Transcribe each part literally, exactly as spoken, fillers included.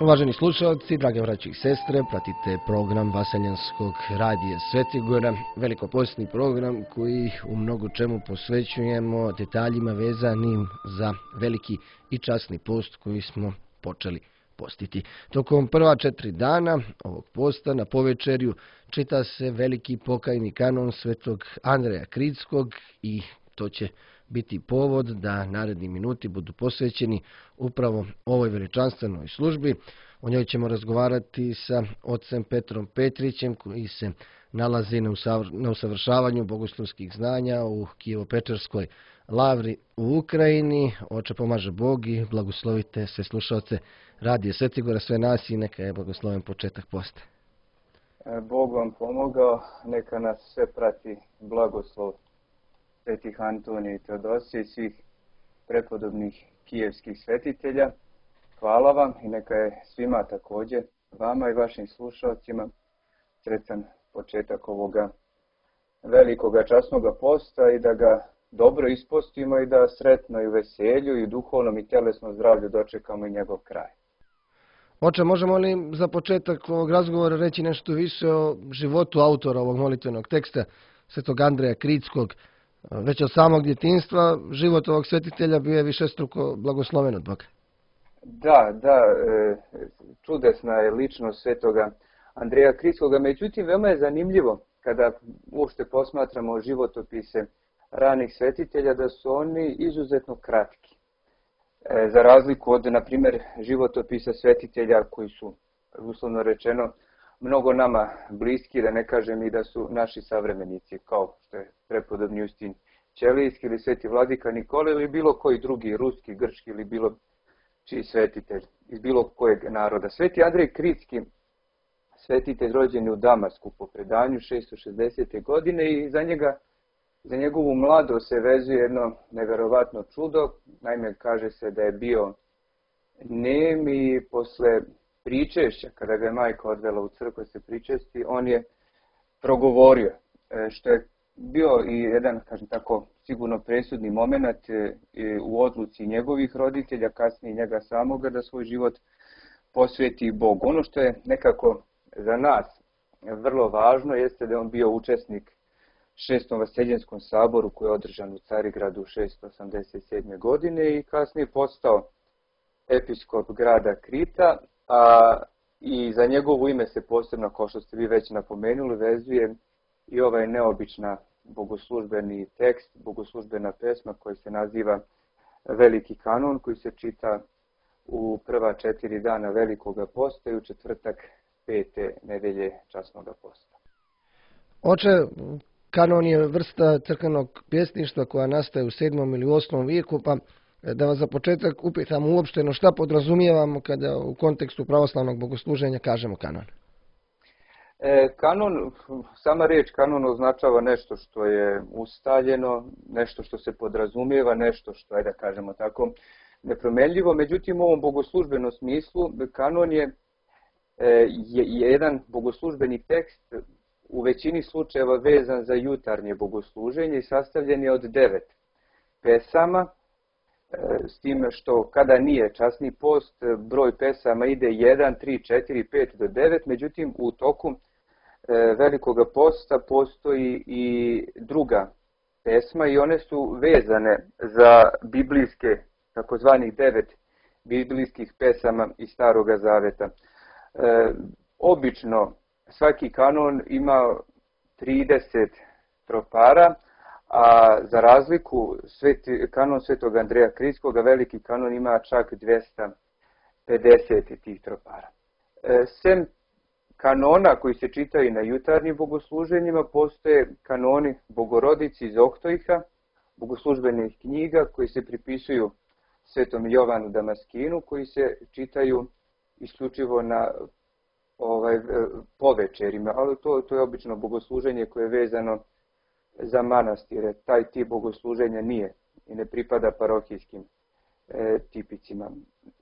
Uvaženi slušalci, drage braće i sestre, pratite program Vaseljanskog radija Svetigora, velikopostni program koji u mnogo čemu posvećujemo detaljima vezanim za veliki i časni post koji smo počeli postiti. Tokom prva četiri dana ovog posta na povečerju čita se veliki pokajni kanon svetog Andreja Kritskog i to će biti povod da naredni minuti budu posvećeni upravo ovoj veličanstvenoj službi. O njoj ćemo razgovarati sa ocem Petrom Petrićem koji se nalazi na usavršavanju bogoslovskih znanja u Kijevo-Pečerskoj lavri u Ukrajini. Oče, pomaže Bog i blagoslovite sve slušalce radije Svetigora, sve nas i neka je blagosloven početak posta. Bog vam pomogao, neka nas sve prati blagoslov svetih Antonija i Teodosije i svih prepodobnih kijevskih svetitelja. Hvala vam i neka je svima također, vama i vašim slušalcima, sretan početak ovoga velikoga časnoga posta i da ga dobro ispostimo i da sretno i u veselju i u duhovnom i telesnom zdravlju dočekamo i njegov kraj. Oče, možemo li za početak ovog razgovora reći nešto više o životu autora ovog molitvenog teksta, svetog Andreja Kritskog? Već od samog djetinjstva život ovog svetitelja bio je višestruko blagosloven od Boga. Da, da, čudesna je ličnost svetoga Andreja Kritskoga, međutim veoma je zanimljivo kada uopšte posmatramo životopise ranih svetitelja da su oni izuzetno kratki. Za razliku od, na primjer, životopisa svetitelja koji su, uslovno rečeno, mnogo nama bliski, da ne kažem i da su naši savremenici, kao što je prepodobni Justin Ćelijski ili sveti vladika Nikola ili bilo koji drugi, ruski, grčki ili bilo čiji svetitelj iz bilo kojeg naroda. Sveti Andrej Kritski, svetitelj rođen u Damasku po predanju šesto šezdesete. godine i za njega, za njegovu mladost se vezuje jedno neverovatno čudo. Naime, kaže se da je bio nem i posle pričešća, kada ga je majka odvela u crkvu se pričesti, on je progovorio, što je bio i jedan, kažem tako, sigurno presudni moment u odluci njegovih roditelja, kasnije njega samoga, da svoj život posveti Bogu. Ono što je nekako za nas vrlo važno jeste da je on bio učesnik šestom Vaseljenskom saboru koji je održan u Carigradu šesto osamdeset sedme. godine i kasnije postao episkop grada Krita, a i za njegovo ime se posebno, kao što ste vi već napomenuli, vezuje i ovaj neobična bogoslužbeni tekst, bogoslužbena pesma koja se naziva Veliki kanon, koji se čita u prva četiri dana Velikoga posta i u četvrtak pete nedelje časnoga posta. Oče, kanon je vrsta crkvenog pjesništva koja nastaje u sedmom ili osmom vijeku, pa da vas za početak upitam uopšteno šta podrazumijevamo kada u kontekstu pravoslavnog bogosluženja kažemo kanon. E, kanon, sama riječ kanon označava nešto što je ustaljeno, nešto što se podrazumijeva, nešto što je, da kažemo tako, nepromenljivo. Međutim, u ovom bogoslužbenom smislu kanon je, je, je jedan bogoslužbeni tekst u većini slučajeva vezan za jutarnje bogosluženje i sastavljen je od devet pesama, s time što kada nije časni post, broj pesama ide jedan, tri, četiri, pet do devet, međutim u toku Velikoga posta postoji i druga pesma i one su vezane za biblijske, takozvanih devet biblijskih pesama iz Staroga Zaveta. E, obično svaki kanon ima trideset tropara, a za razliku sveti, kanon svetog Andreja Kritskoga, veliki kanon ima čak dvjesto pedeset tih tropara. E, sem kanona koji se čitaju na jutarnjim bogosluženjima, postoje kanoni Bogorodici iz Ohtojha, bogoslužbenih knjiga koji se pripisuju svetom Jovanu Damaskinu, koji se čitaju isključivo na ovaj, povečerima, ali to, to je obično bogosluženje koje je vezano za manastire. Taj tip bogosluženja nije i ne pripada parohijskim e, tipicima.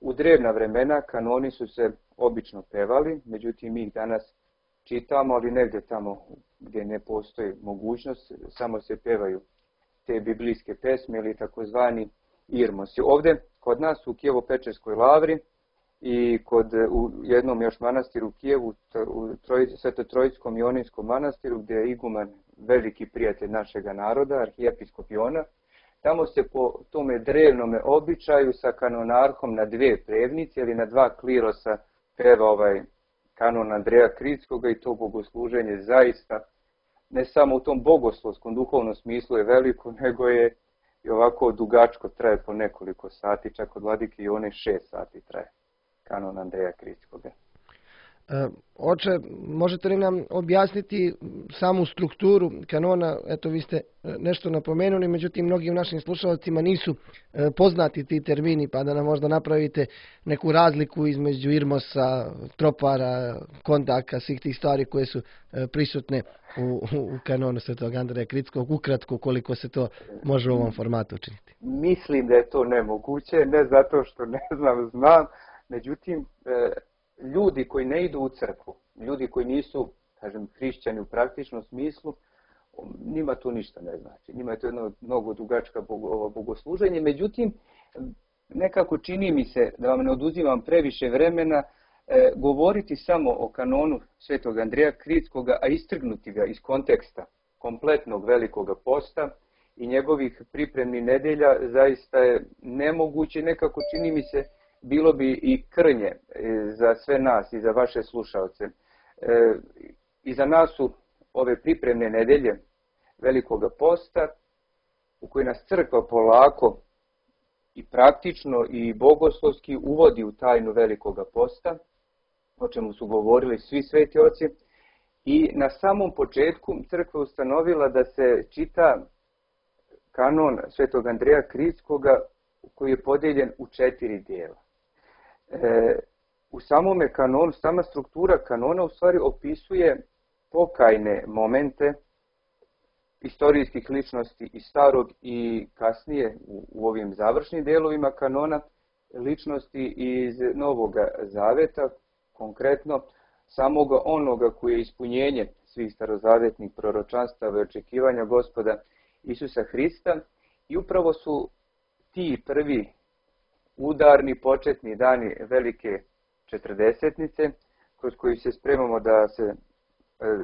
U drevna vremena kanoni su se obično pevali, međutim mi ih danas čitamo, ali negdje tamo gdje ne postoji mogućnost, samo se pevaju te biblijske pesme ili takozvani irmosi. Ovdje kod nas u Kijevo-Pečerskoj lavri i kod, u jednom još manastiru u Kijevu, u Troj, Sveto-Trojskom Ionijskom manastiru, gdje je iguman veliki prijatelj našega naroda, arhijepiskop Iona. Tamo se po tome drevnome običaju sa kanonarhom na dve prevnice ili na dva klirosa peva ovaj kanon Andreja Kritskoga i to bogosluženje zaista ne samo u tom bogoslovskom duhovnom smislu je veliko, nego je i ovako dugačko, traje po nekoliko sati, čak od vladike Ione šest sati traje kanon Andreja Kritskoga. E, oče, možete li nam objasniti samu strukturu kanona? Eto, vi ste nešto napomenuli, međutim, mnogim našim slušalcima nisu e, poznati ti termini, pa da nam možda napravite neku razliku između irmosa, tropara, kontaka, svih tih stvari koje su e, prisutne u, u kanonu Svetog Andreja Kritskog, ukratko koliko se to može u ovom formatu učiniti. Mislim da je to nemoguće, ne zato što ne znam, znam, međutim, e, ljudi koji ne idu u crkvu, ljudi koji nisu, kažem, hrišćani u praktičnom smislu, njima to ništa ne znači. Njima je to jedno mnogo dugačka bogosluženje. Međutim, nekako čini mi se, da vam ne oduzimam previše vremena, e, govoriti samo o kanonu Svetog Andreja Kritskoga, a istrgnuti ga iz konteksta kompletnog Velikoga posta i njegovih pripremnih nedelja, zaista je nemoguće. Nekako čini mi se, bilo bi i krnje za sve nas i za vaše slušalce. E, I za nas su ove pripremne nedelje Velikoga posta, u koji nas crkva polako i praktično i bogoslovski uvodi u tajnu Velikoga posta, o čemu su govorili svi sveti oci. I na samom početku crkva ustanovila da se čita kanon Svetog Andreja Kritskoga, koji je podijeljen u četiri dijela. E, u samome kanonu, sama struktura kanona u stvari opisuje pokajne momente istorijskih ličnosti i starog i kasnije u, u ovim završnim delovima kanona ličnosti iz Novoga Zaveta, konkretno samoga onoga koji je ispunjenje svih starozavetnih proročanstava i očekivanja Gospoda Isusa Hrista. I upravo su ti prvi udarni početni dani velike četrdesetnice, kroz koju se spremamo da se e,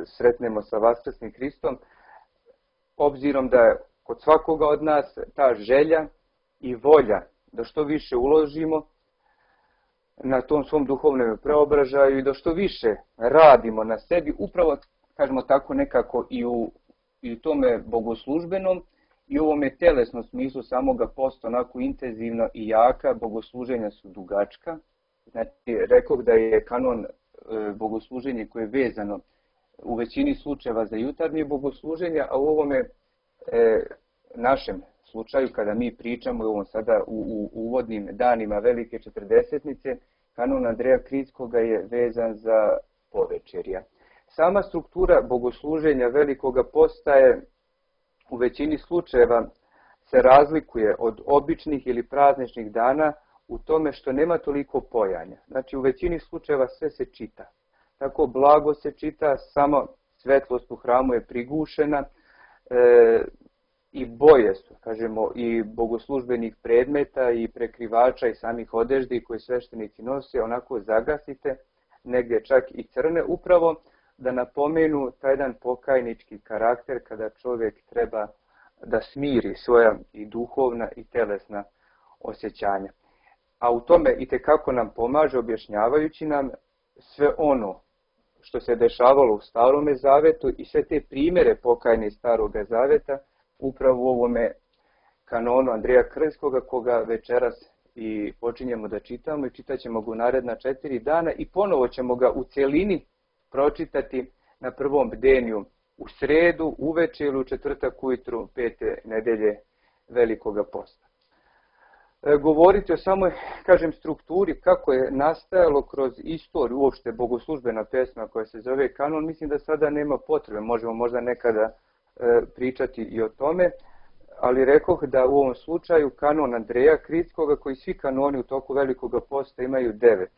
sretnemo sa Vaskrsnim Hristom, obzirom da je kod svakoga od nas ta želja i volja da što više uložimo na tom svom duhovnom preobražaju i da što više radimo na sebi, upravo, kažemo tako, nekako i u, i u tome bogoslužbenom i u ovome telesnom smislu samoga posta, onako intenzivno i jaka, bogosluženja su dugačka. Znači, rekao da je kanon e, bogosluženje koje je vezano u većini slučajeva za jutarnje bogosluženje, a u ovome e, našem slučaju, kada mi pričamo u ovom sada u, u uvodnim danima velike četrdesetnice, kanon Andreja Kritskoga je vezan za povečerja. Sama struktura bogosluženja Velikoga posta je u većini slučajeva se razlikuje od običnih ili prazničnih dana u tome što nema toliko pojanja. Znači, u većini slučajeva sve se čita. Tako blago se čita, samo svetlost u hramu je prigušena e, i boje su, kažemo, i bogoslužbenih predmeta i prekrivača i samih odeždi koje sveštenici nose, onako zagasite, negdje čak i crne, upravo da napomenu taj jedan pokajnički karakter kada čovjek treba da smiri svoja i duhovna i telesna osjećanja. A u tome itekako nam pomaže objašnjavajući nam sve ono što se dešavalo u Starome Zavetu i sve te primjere pokajne Staroga Zaveta upravo u ovome kanonu Andreja Kritskoga, koga večeras i počinjemo da čitamo i čitat ćemo ga u naredna četiri dana i ponovo ćemo ga u cjelini pročitati na prvom bdenju u sredu, uveče ili u četvrtak ujutru pete nedelje Velikoga posta. E, govoriti o samoj, kažem, strukturi, kako je nastajalo kroz istoriju, uopšte bogoslužbena pesma koja se zove kanon, mislim da sada nema potrebe, možemo možda nekada e, pričati i o tome, ali rekoh da u ovom slučaju kanon Andreja Kritskoga, koji svi kanoni u toku Velikoga posta imaju devet,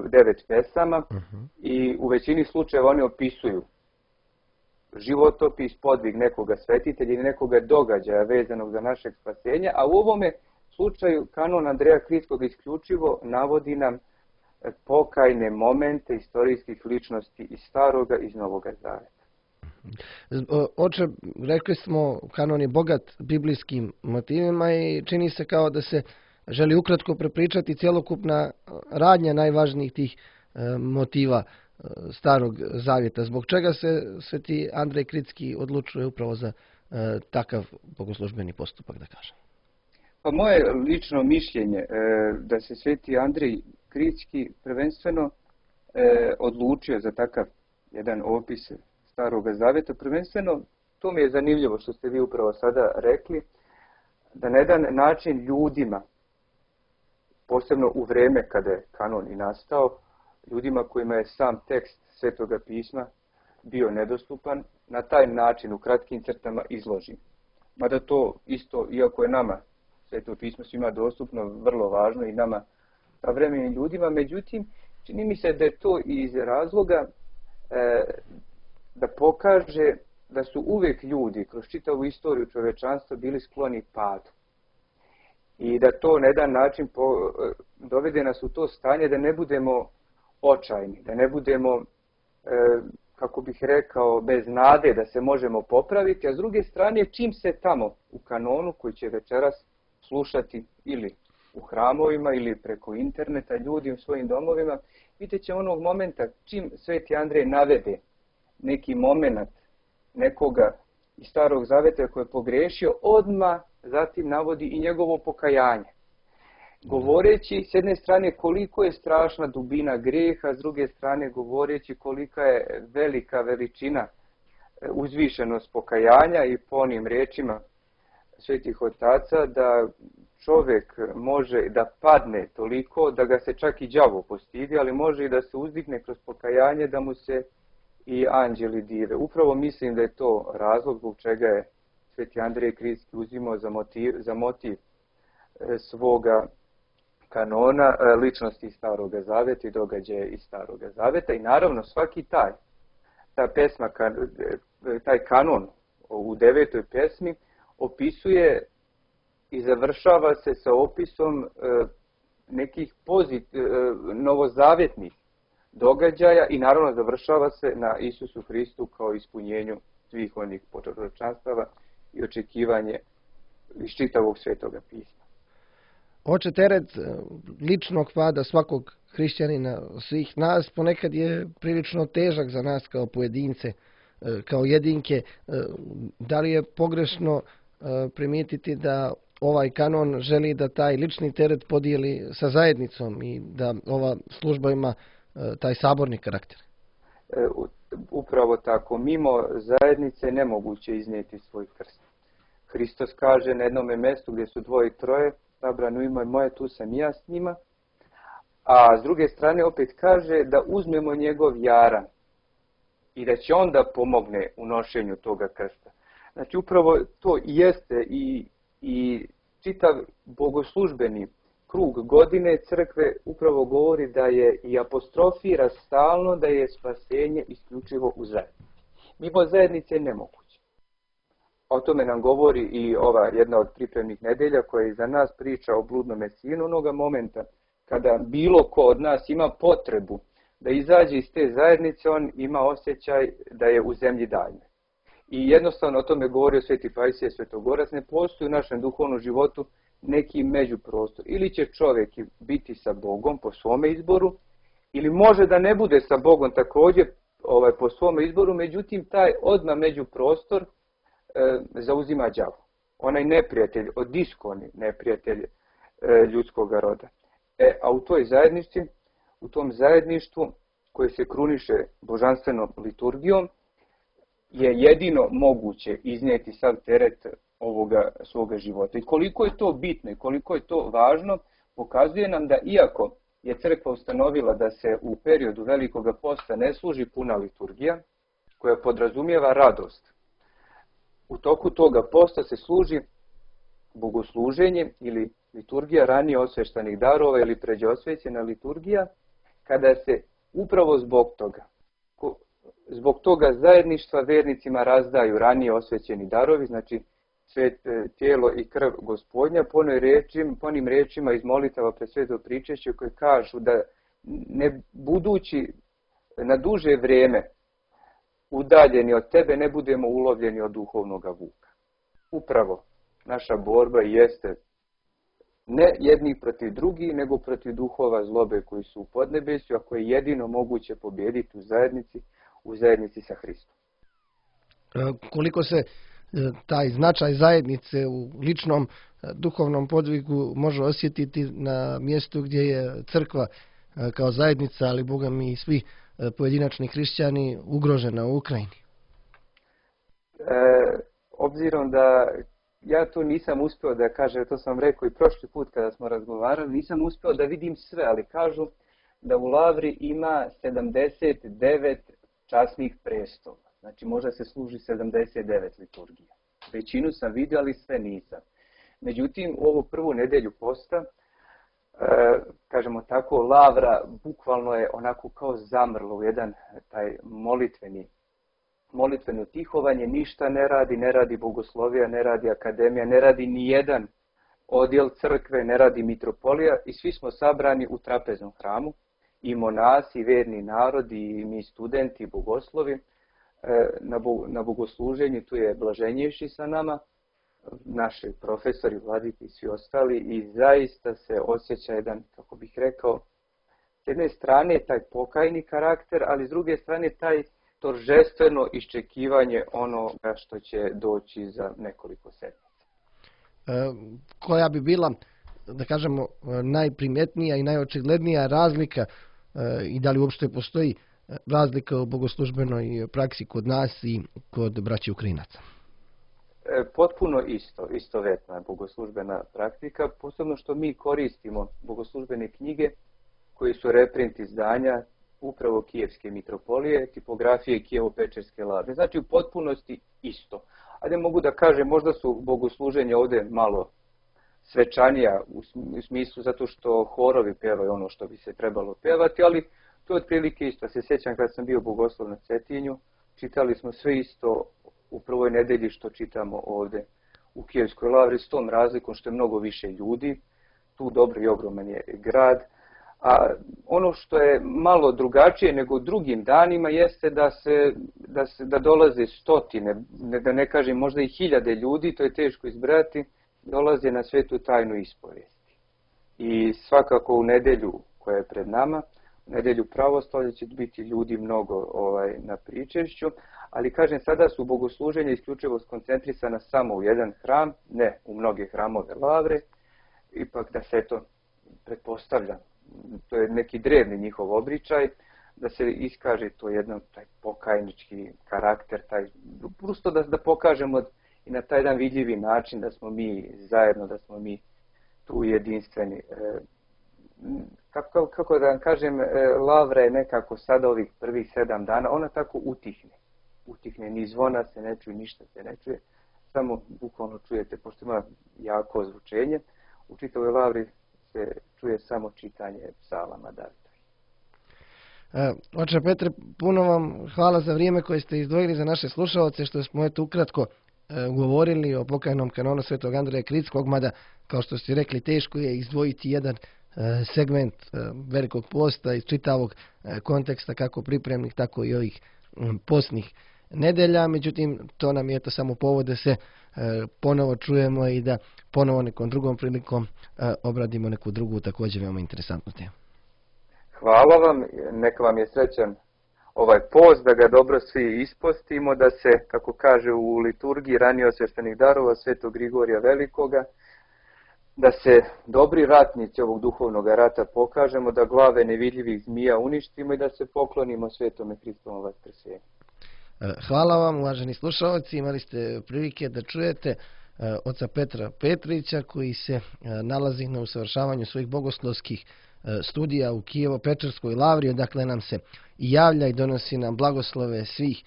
devet pesama uh-huh. i u većini slučajeva oni opisuju životopis, podvig nekoga svetitelja ili nekoga događaja vezanog za našeg spasenja, a u ovome slučaju kanon Andreja Kritskog isključivo navodi nam pokajne momente istorijskih ličnosti iz Staroga i iz Novoga Zaveta. Oče, rekli smo, kanon je bogat biblijskim motivima i čini se kao da se želi ukratko prepričati cjelokupna radnja najvažnijih tih motiva Starog Zavjeta. Zbog čega se sveti Andrej Kritski odlučuje upravo za takav bogoslužbeni postupak, da kažem? Pa moje lično mišljenje da se sveti Andrej Kritski prvenstveno odlučio za takav jedan opis Staroga Zavjeta. Prvenstveno, to mi je zanimljivo što ste vi upravo sada rekli, da na jedan način ljudima, posebno u vrijeme kada je kanon i nastao, ljudima kojima je sam tekst Svetoga pisma bio nedostupan, na taj način u kratkim crtama izloži. Mada to isto, iako je nama Sveto pismo svima dostupno, vrlo važno i nama savremenim ljudima, međutim, čini mi se da je to iz razloga e, da pokaže da su uvijek ljudi kroz čitavu istoriju čovečanstva bili skloni padu. I da to na jedan način po, dovede nas u to stanje da ne budemo očajni, da ne budemo, e, kako bih rekao, bez nade da se možemo popraviti, a s druge strane čim se tamo u kanonu koji će večeras slušati ili u hramovima ili preko interneta ljudi u svojim domovima, vidjet će onog momenta čim sveti Andrej navede neki moment nekoga iz Starog Zaveta koji je pogrešio, odmah zatim navodi i njegovo pokajanje. Govoreći s jedne strane koliko je strašna dubina grijeha, s druge strane govoreći kolika je velika veličina uzvišenost pokajanja i po onim riječima svetih otaca da čovjek može da padne toliko da ga se čak i đavo postidi, ali može i da se uzdigne kroz pokajanje da mu se i anđeli dive. Upravo mislim da je to razlog zbog čega je sveti Andrej Kritski uzimao za motiv, za motiv svoga kanona ličnosti iz Staroga Zaveta i događaje iz Staroga Zaveta. I naravno svaki taj, ta pesma, taj kanon u devetoj pesmi opisuje i završava se sa opisom nekih pozit, novozavjetnih događaja i naravno završava se na Isusu Hristu kao ispunjenju svih onih proročanstava i očekivanje iz čitavog Svetoga pisma. Oče, teret ličnog pada svakog hrišćanina, svih nas, ponekad je prilično težak za nas kao pojedince, kao jedinke. Da li je pogrešno primijetiti da ovaj kanon želi da taj lični teret podijeli sa zajednicom i da ova služba ima taj saborni karakter? Upravo tako. Mimo zajednice nemoguće iznijeti svoj krst. Hristos kaže na jednom mjestu gdje su dvoje i troje, sabrano ime moje, tu sam i ja s njima. A s druge strane opet kaže da uzmemo njegov jaran i da će onda pomogne u nošenju toga krsta. Znači upravo to jeste i, i čitav bogoslužbeni krug godine crkve upravo govori da je i apostrofira stalno da je spasenje isključivo u zajednici. Mimo zajednice je nemoguće. O tome nam govori i ova jedna od pripremnih nedelja koja iza nas priča o bludnome sinu, onoga momenta kada bilo ko od nas ima potrebu da izađe iz te zajednice, on ima osjećaj da je u zemlji daljne. I jednostavno o tome govorio sveti Pajsije Svetogorac, ne postoji u našem duhovnom životu neki međuprostor. Ili će čovjek biti sa Bogom po svome izboru, ili može da ne bude sa Bogom također ovaj, po svome izboru, međutim taj odmah međuprostor e, zauzima đavo. Onaj neprijatelj, odiskoni neprijatelj e, ljudskog roda. E, a u toj zajednici, u tom zajedništvu koje se kruniše božanstvenom liturgijom, je jedino moguće iznijeti sav teret ovoga svoga života. I koliko je to bitno i koliko je to važno, pokazuje nam da iako je crkva ustanovila da se u periodu Velikoga posta ne služi puna liturgija, koja podrazumijeva radost, u toku toga posta se služi bogosluženje ili liturgija ranije osveštanih darova ili pređeosvećena liturgija, kada se upravo zbog toga, zbog toga zajedništva vernicima razdaju ranije osvećeni darovi, znači svet, tijelo i krv Gospodnja, po, rečim, po onim rečima iz molitava pred sveto pričešće koje kažu da ne budući na duže vrijeme udaljeni od tebe, ne budemo ulovljeni od duhovnog vuka. Upravo naša borba jeste ne jedni protiv drugih, nego protiv duhova zlobe koji su u podnebesju, a koje je jedino moguće pobijediti u zajednici, u zajednici sa Hristom. Koliko se taj značaj zajednice u ličnom duhovnom podvigu može osjetiti na mjestu gdje je crkva kao zajednica, ali Boga mi i svi pojedinačni hrišćani ugrožena u Ukrajini? E, obzirom da ja tu nisam uspio da kažem, to sam rekao i prošli put kada smo razgovarali, nisam uspio da vidim sve, ali kažu da u Lavri ima sedamdeset devet časnih prestola. Znači može se služi sedamdeset devet liturgija. Većinu sam vidio, ali sve nisam. Međutim, u ovu prvu nedelju posta, e, kažemo tako, Lavra bukvalno je onako kao zamrlo u jedan taj molitveni molitveno tihovanje, ništa ne radi, ne radi bogoslovija, ne radi akademija, ne radi ni jedan odjel crkve, ne radi mitropolija i svi smo sabrani u trapeznom hramu, i monasi, i verni narod, i mi studenti, i bogoslovi, na, na bogosluženju. Tu je Blaženjevši sa nama, naši profesori, vladiki i svi ostali, i zaista se osjeća jedan, kako bih rekao, s jedne strane taj pokajni karakter, ali s druge strane taj toržestveno iščekivanje onoga što će doći za nekoliko sedmica. E, koja bi bila, da kažemo, najprimjetnija i najočiglednija razlika, e, i da li uopšte postoji razlika u bogoslužbenoj praksi kod nas i kod braće Ukrajinaca? E, potpuno isto, istovetna je bogoslužbena praktika, posebno što mi koristimo bogoslužbene knjige koje su reprint izdanja upravo Kijevske mitropolije, tipografije Kijevo-Pečerske Lavre. Znači u potpunosti isto. Ali mogu da kažem, možda su bogosluženja ovdje malo svečanija u smislu zato što horovi pevaju ono što bi se trebalo pevati, ali to je otprilike isto. Se sjećam kad sam bio bogoslov na Cetinju, čitali smo sve isto u prvoj nedelji što čitamo ovdje u Kijevskoj Lavri, s tom razlikom što je mnogo više ljudi, tu dobro i ogroman je grad. A ono što je malo drugačije nego drugim danima jeste da se, da se da dolaze stotine, da ne kažem možda i hiljade ljudi, to je teško izbrojati, dolaze na svetu tajnu ispovijesti. I svakako u nedelju koja je pred nama, u nedelju pravoslavlja će biti ljudi mnogo ovaj, na pričešću, ali kažem sada su bogosluženja isključivo skoncentrisana samo u jedan hram, ne u mnoge hramove Lavre, ipak da se to pretpostavlja. To je neki drevni njihov običaj, da se iskaže to jedan taj pokajnički karakter, taj, prosto da, da pokažemo i na taj jedan vidljivi način da smo mi zajedno, da smo mi tu jedinstveni. E, kako, kako da vam kažem, Lavra je nekako sada ovih prvih sedam dana, ona tako utihne. Utihne, ni zvona se ne čuje, ništa se ne čuje, samo bukvalno čujete, pošto ima jako zvučenje, u čitavoj Lavri se čuje samo čitanje psalama Davidovih. E, oče Petre, puno vam hvala za vrijeme koje ste izdvojili za naše slušalce, što smo eto ukratko e, govorili o pokajnom kanonu Svetog Andreja Kritskog, mada, kao što ste rekli, teško je izdvojiti jedan e, segment e, velikog posta iz čitavog e, konteksta, kako pripremnih, tako i ovih m, postnih nedelja. Međutim, to nam je to samo povod da se e, ponovo čujemo i da ponovo nekom drugom prilikom e, obradimo neku drugu također veoma interesantnu temu. Hvala vam, neka vam je srećan ovaj post, da ga dobro svi ispostimo, da se, kako kaže u liturgiji ranije osvještenih darova Svetog Grigorija Velikoga, da se dobri ratnici ovog duhovnog rata pokažemo, da glave nevidljivih zmija uništimo i da se poklonimo Svetome Hristovom vaskrsenju. Hvala vam, uvaženi slušalci, imali ste prilike da čujete oca Petra Petrića, koji se nalazi na usavršavanju svojih bogoslovskih studija u Kijevo-Pečerskoj Lavri, odakle nam se i javlja i donosi nam blagoslove svih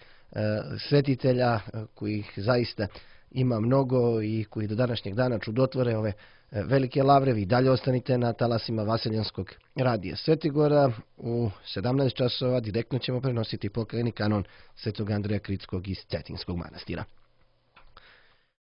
svetitelja, kojih zaista ima mnogo i koji do današnjeg dana čudotvore ove velike lavre. Vi dalje ostanite na talasima Vaseljanskog radija Svetigora. U sedamnaest časova direktno ćemo prenositi pokajni kanon Svetog Andreja Kritskog iz Cetinskog manastira.